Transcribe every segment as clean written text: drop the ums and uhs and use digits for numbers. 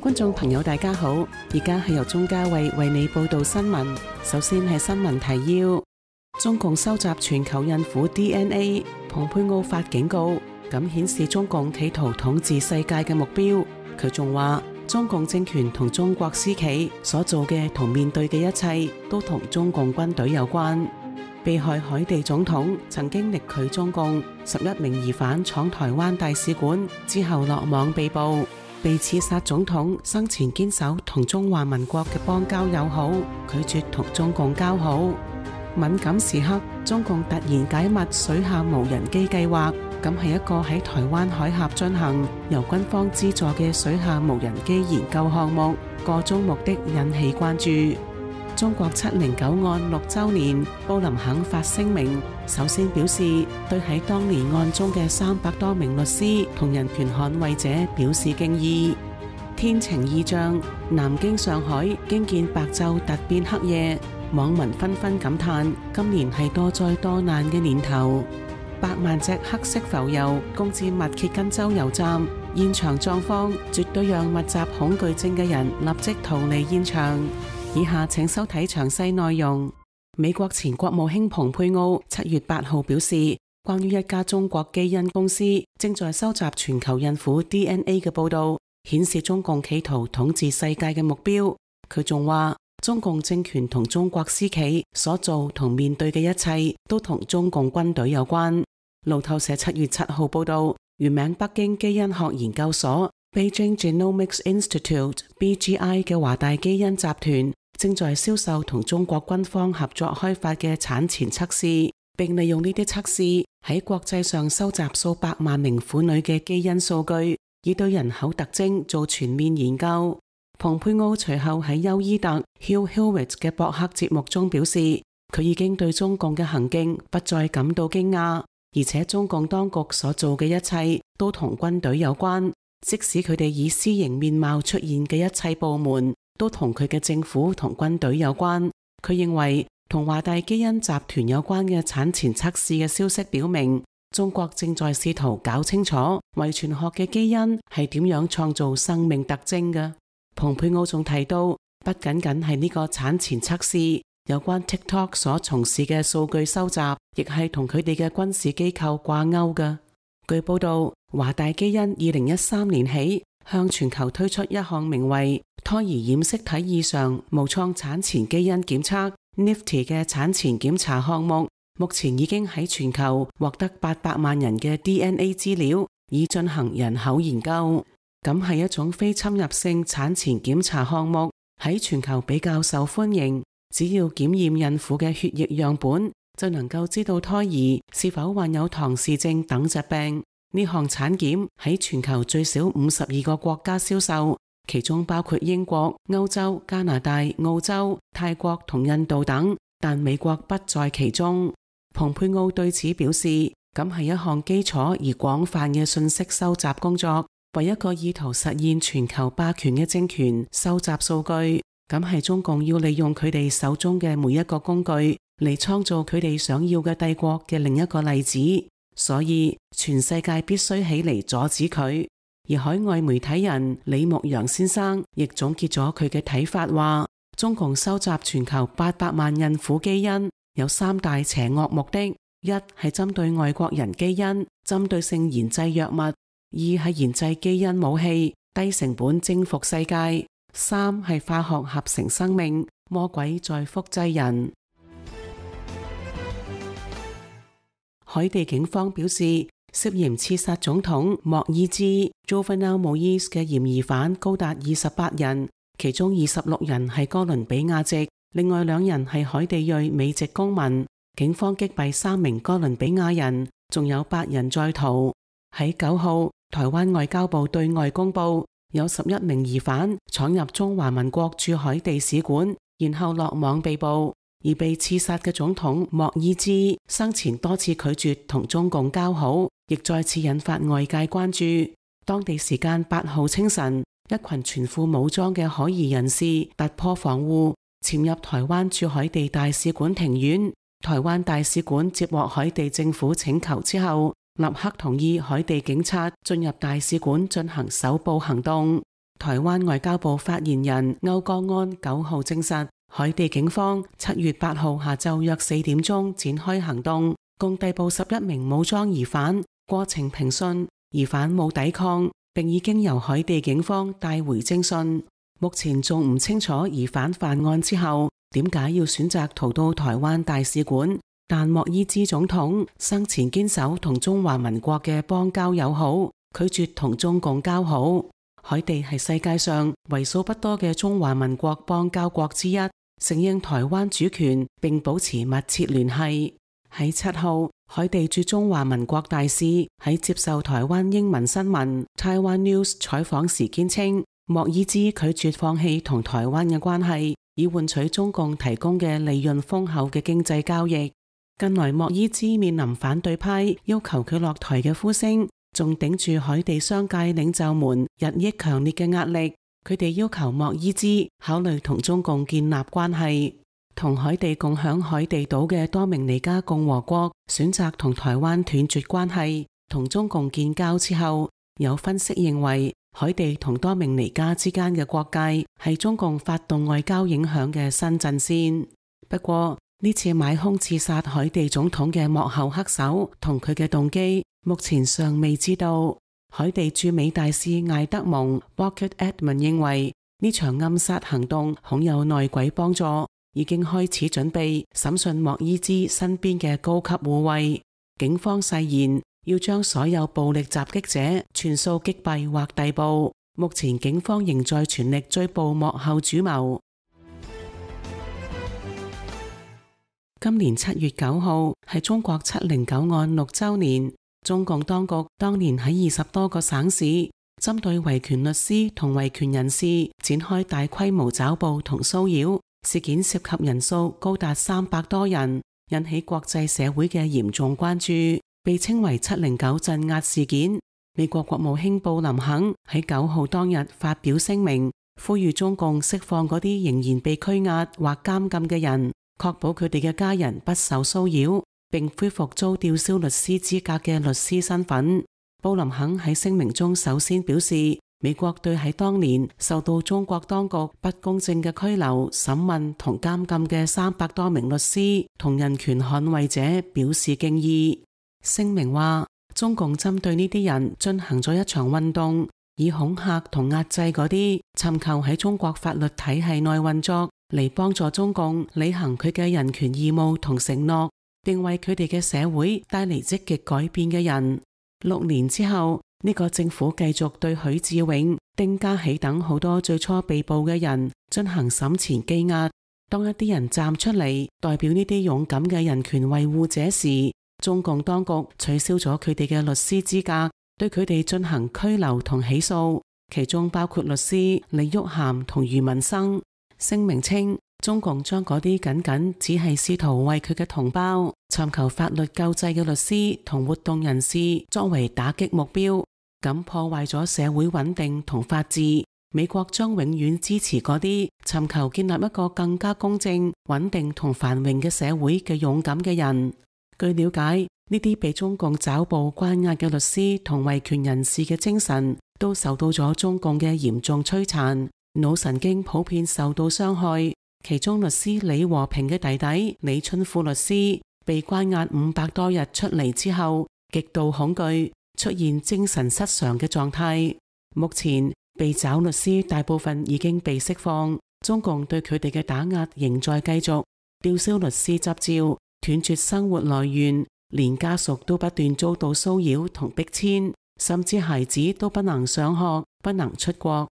觀眾朋友大家好，而家係由鍾嘉慧為你報道新聞。首先係新聞提要：中共收集全球孕婦 DNA， 蓬佩奧發警告，咁顯示中共企圖統治世界嘅目標。佢仲話，中共政權同中國私企所做嘅同面對嘅一切，都同中共軍隊有關。被害海地總統曾經力拒中共，11名疑犯闖台灣大使館之後落網被捕。被刺殺總統生前堅守同中華民國嘅邦交友好，拒絕同中共交好。敏感時刻，中共突然解密水下無人機計劃，咁係一個喺台灣海峽進行由軍方資助嘅水下無人機研究項目，個中目的引起關注。中國709案6週年，布林肯發聲明，首先表示對喺當年案中嘅300多名律師同人權捍衛者表示敬意。天晴異象，南京、上海驚見白晝突變黑夜，網民紛紛感嘆今年係多災多難嘅年頭。百萬隻黑色浮游攻至密歇根州油站，現場狀況絕對讓密集恐懼症嘅人立即逃離現場。以下請收睇詳細內容。美國前國務卿蓬佩奧7月8號表示，關於一家中國基因公司正在收集全球孕婦 DNA 嘅報道，顯示中共企圖統治世界嘅目標。佢仲話，中共政權同中國私企所做同面對嘅一切，都同中共軍隊有關。路透社7月7號報道，原名北京基因學研究所 Beijing Genomics Institute（BGI） 嘅華大基因集團正在銷售同中國軍方合作開發嘅產前測試，並利用呢啲測試喺國際上收集數百萬名婦女嘅基因數據，以對人口特徵做全面研究。蓬佩奧隨後喺休伊特 Hugh Hewitt 嘅博客節目中表示，佢已經對中共嘅行徑不再感到驚訝，而且中共當局所做嘅一切都同軍隊有關，即使佢哋以私營面貌出現嘅一切部門，都同佢嘅政府同軍隊有關。佢認為同華大基因集團有關嘅產前測試嘅消息表明，中國正在試圖搞清楚遺傳學嘅基因係點樣創造生命特徵嘅。蓬佩奧仲提到，不僅僅係呢個產前測試，有關 TikTok 所從事嘅數據收集，亦係同佢哋嘅軍事機構掛鈎嘅。據報道，華大基因2013年起向全球推出一項名為胎兒染色體異常無創產前基因檢測 NIFT 嘅產前檢查項目，目前已經喺全球獲得800萬人嘅 DNA 資料，以進行人口研究。咁係一種非侵入性產前檢查項目，喺全球比較受歡迎。只要檢驗孕婦嘅血液樣本，就能夠知道胎兒是否患有唐氏症等疾病。呢項產檢喺全球最少52個國家銷售，其中包括英國、歐洲、加拿大、澳洲、泰國同印度等，但美國不在其中。蓬佩奧對此表示，咁係一項基礎而廣泛嘅信息收集工作，為一個意圖實現全球霸權嘅政權收集數據。咁係中共要利用佢哋手中嘅每一個工具嚟創造佢哋想要嘅帝國嘅另一個例子。所以全世界必須起嚟阻止佢。而海外媒體人李牧陽先生亦總結咗佢嘅睇法，話中共收集全球800萬孕婦基因有3大邪惡目的：一係針對外國人基因，針對性研製藥物；二係研製基因武器，低成本征服世界；三係化學合成生命，魔鬼在複製人。海地警方表示，涉嫌刺殺總統莫爾茲 Jovenel Moise 嘅嫌疑犯高達28人，其中26人係哥倫比亞籍，另外2人係海地裔美籍公民。警方擊斃3名哥倫比亞人，仲有8人在逃。喺9號，台灣外交部對外公佈，有11名疑犯闖入中華民國駐海地使館，然後落網被捕。而被刺殺嘅總統莫爾茲生前多次拒絕同中共交好，亦再次引發外界關注。當地時間8號清晨，一群全副武裝嘅可疑人士突破防護，潛入台灣駐海地大使館庭院。台灣大使館接獲海地政府請求之後，立刻同意海地警察進入大使館進行搜捕行動。台灣外交部發言人歐江安9號證實，海地警方7月8號下晝約4點鐘展開行動，共逮捕11名武裝疑犯，過程平順，疑犯冇抵抗，並已經由海地警方帶回偵訊。目前仲唔清楚疑犯犯案之後點解要選擇逃到台灣大使館，但莫伊茲總統生前堅守同中華民國嘅邦交友好，拒絕同中共交好。海地係世界上為數不多嘅中華民國邦交國之一，承認台灣主權並保持密切聯繫。喺7號，海地駐中華民國大使喺接受台灣英文新聞 Taiwan News 採訪時堅稱，莫伊茲拒絕放棄同台灣嘅關係，以換取中共提供嘅利潤豐厚嘅經濟交易。近來莫伊茲面臨反對派要求佢落台嘅呼聲，仲頂住海地商界領袖們日益強烈嘅壓力，佢哋要求莫伊茲考慮同中共建立關係。同海地共享海地島嘅多明尼加共和國選擇同台灣斷絕關係，同中共建交之後，有分析認為海地同多明尼加之間嘅國界係中共發動外交影響嘅新陣線。不過呢次買兇刺殺海地總統嘅幕後黑手同佢嘅動機目前尚未知道。海地駐美大使艾德蒙 Walker Edmund 認為呢場暗殺行動恐有內鬼幫助，已經開始準備審訊莫伊茲身邊嘅高級護衛。警方誓言要將所有暴力襲擊者全數擊斃或逮捕。目前警方仍在全力追捕幕後主謀。今年7月9號係中國709案6週年。中共當局當年喺20多個省市針對維權律師同維權人士展開大規模抓捕同騷擾，事件涉及人數高達300多人，引起國際社會嘅嚴重關注，被稱為709鎮壓事件。美國國務卿布林肯喺9號當日發表聲明，呼籲中共釋放嗰啲仍然被拘押或監禁嘅人，確保佢哋嘅家人不受騷擾，並恢復遭吊銷律師資格嘅律師身份。布林肯喺聲明中首先表示，美國對喺當年受到中國當局不公正嘅拘留、審問同監禁嘅300多名律師同人權捍衛者表示敬意。聲明話，中共針對呢啲人進行咗一場運動，以恐嚇同壓制嗰啲尋求喺中國法律體系內運作，嚟幫助中共履行佢嘅人權義務同承諾，並為佢哋嘅社會帶嚟積極改變嘅人。6年之後，呢個政府繼續對許志永、丁家喜等好多最初被捕嘅人進行審前羈押。當一啲人站出嚟代表呢啲勇敢嘅人權維護者時，中共當局取消咗佢哋嘅律師資格，對佢哋進行拘留同起訴，其中包括律師李玉涵同余文生。聲明稱，中共將嗰啲僅僅只係試圖為佢嘅同胞尋求法律救濟嘅律師同活動人士作為打擊目標，咁破壞咗社會穩定同法治。美國將永遠支持嗰啲尋求建立一個更加公正、穩定同繁榮嘅社會嘅勇敢嘅人。據了解，呢啲被中共抓捕關押嘅律師同維權人士嘅精神都受到咗中共嘅嚴重摧殘，腦神經普遍受到傷害。其中律師李和平嘅弟弟李春富律師被關押500多日出嚟之後，極度恐懼，出現精神失常嘅狀態。目前被抓律師大部分已經被釋放，中共對佢哋嘅打壓仍在繼續，吊銷律師執照，斷絕生活來源，連家屬都不斷遭到騷擾同逼遷，甚至孩子都不能上學，不能出國。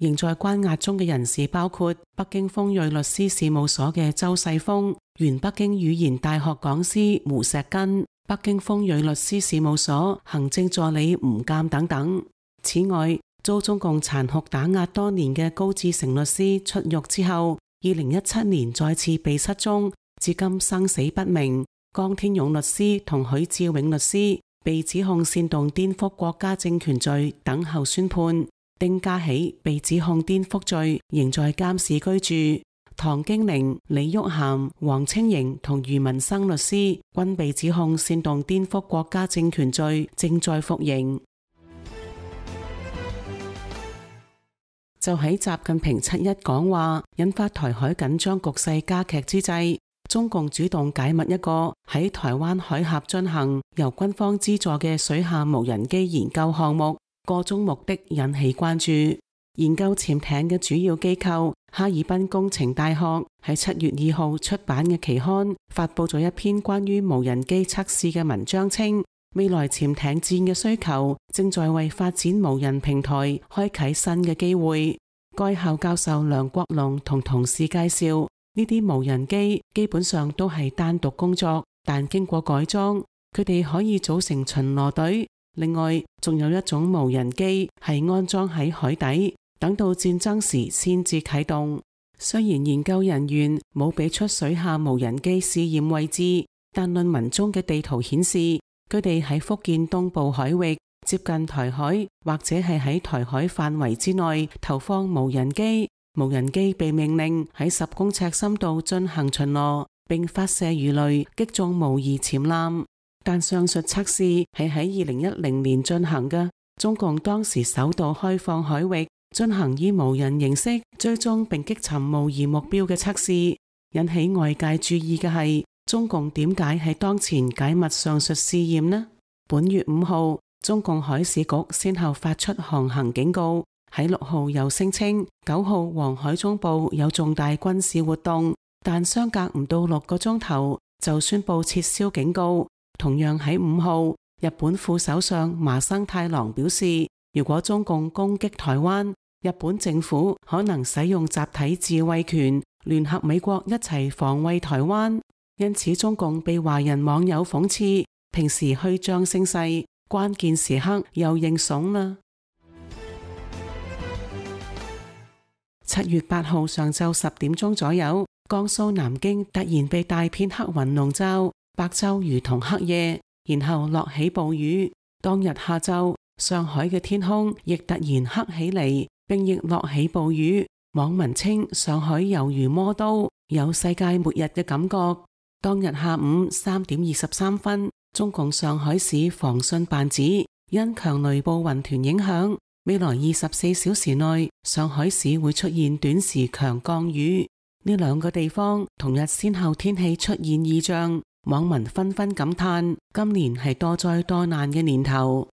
仍在關押中嘅人士包括北京鋒銳律師事務所嘅周世峰、原北京語言大學講師胡錫根、北京鋒銳律師事務所行政助理吳鑑等等。此外，遭中共殘酷打壓多年嘅高志成律師出獄之後，2017年再次被失蹤，至今生死不明。江天勇律師同許志永律師被指控煽動顛覆國家政權罪，等候宣判。丁家喜被指控顛覆罪，仍在監視居住。唐經寧、李玉涵、黃清瑩同余文生律師均被指控煽動顛覆國家政權罪，正在服刑。就喺習近平7·1講話引發台海緊張局勢加劇之際，中共主動解密一個喺台灣海峽進行由軍方資助嘅水下無人機研究項目，個中目的引起關注。研究潛艇嘅主要機構哈爾濱工程大學喺7月2號出版嘅期刊發佈咗一篇關於無人機測試嘅文章，稱未來潛艇戰嘅需求正在為發展無人平台開啟新嘅機會。該校教授梁國龍同同事介紹，呢啲無人機基本上都係單獨工作，但經過改裝，佢哋可以組成巡邏隊。另外，仲有一種無人機係安裝喺海底，等到戰爭時先至啟動。雖然研究人員冇俾出水下無人機試驗位置，但論文中嘅地圖顯示，佢哋喺福建東部海域接近台海，或者係喺台海範圍之內投放無人機。無人機被命令喺10公尺深度進行巡邏，並發射魚雷擊中模擬潛艦。但上述測試係喺2010年進行嘅，中共當時首度開放海域進行以無人形式追蹤並擊沉模擬目標嘅測試。引起外界注意嘅係，中共點解喺當前解密上述試驗呢？本月5號，中共海事局先後發出航行警告，喺6號又聲稱9號黃海中部有重大軍事活動，但相隔唔到6個鐘頭就宣布撤銷警告。同樣喺5號，日本副首相麻生太郎表示，如果中共攻擊台灣，日本政府可能使用集體自衛權，聯合美國一齊防衛台灣。因此中共被華人網友諷刺，平時虛張聲勢，關鍵時刻又認慫啦。7月8號上晝10點鐘左右，江蘇南京突然被大片黑雲籠罩，白晝如同黑夜，然後落起暴雨。當日下晝，上海嘅天空亦突然黑起嚟，並亦落起暴雨。網民稱上海猶如魔都，有世界末日嘅感覺。當日下午3點23分，中共上海市防汛辦指，因強雷暴雲團影響，未來24小時內，上海市會出現短時強降雨。呢兩個地方同日先後天氣出現異象，網民紛紛感嘆，今年係多災多難嘅年頭。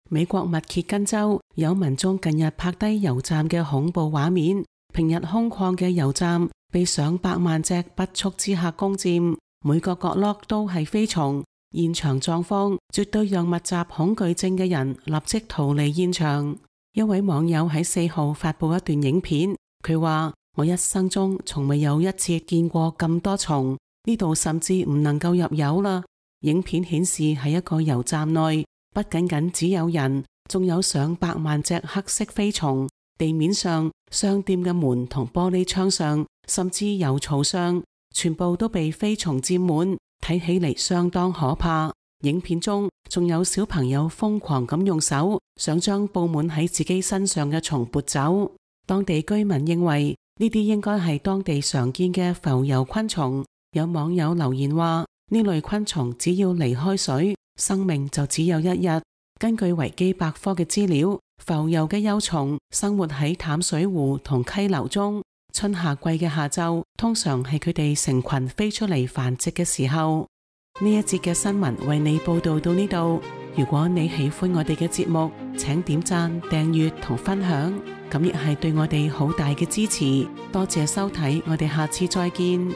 美國密歇根州有民眾近日拍低油站嘅恐怖畫面，平日空曠嘅油站被上百萬隻不速之客攻佔，每個角落都係飛蟲，現場狀況絕對讓密集恐懼症嘅人立即逃離現場。一位網友喺4號發布一段影片，佢話：我一生中從未有一次見過咁多蟲，呢度甚至唔能夠入油啦。影片顯示喺一個油站內，不僅僅只有人，仲有上百萬隻黑色飛蟲。地面上、商店嘅門同玻璃窗上，甚至油槽上，全部都被飛蟲佔滿，睇起嚟相當可怕。影片中仲有小朋友瘋狂咁用手想將布滿喺自己身上嘅蟲撥走。當地居民認為呢啲應該係當地常見嘅浮游昆蟲。有網友留言話：呢類昆蟲只要離開水，生命就只有1日。根據維基百科嘅資料，浮游嘅幼蟲生活喺淡水湖同溪流中，春夏季嘅下晝通常係佢哋成群飛出嚟繁殖嘅時候。呢一節嘅新聞為你報道到呢度。如果你喜歡我哋嘅節目，請點讚、訂閱同分享，咁亦係對我哋好大嘅支持。多謝收睇，我哋下次再見。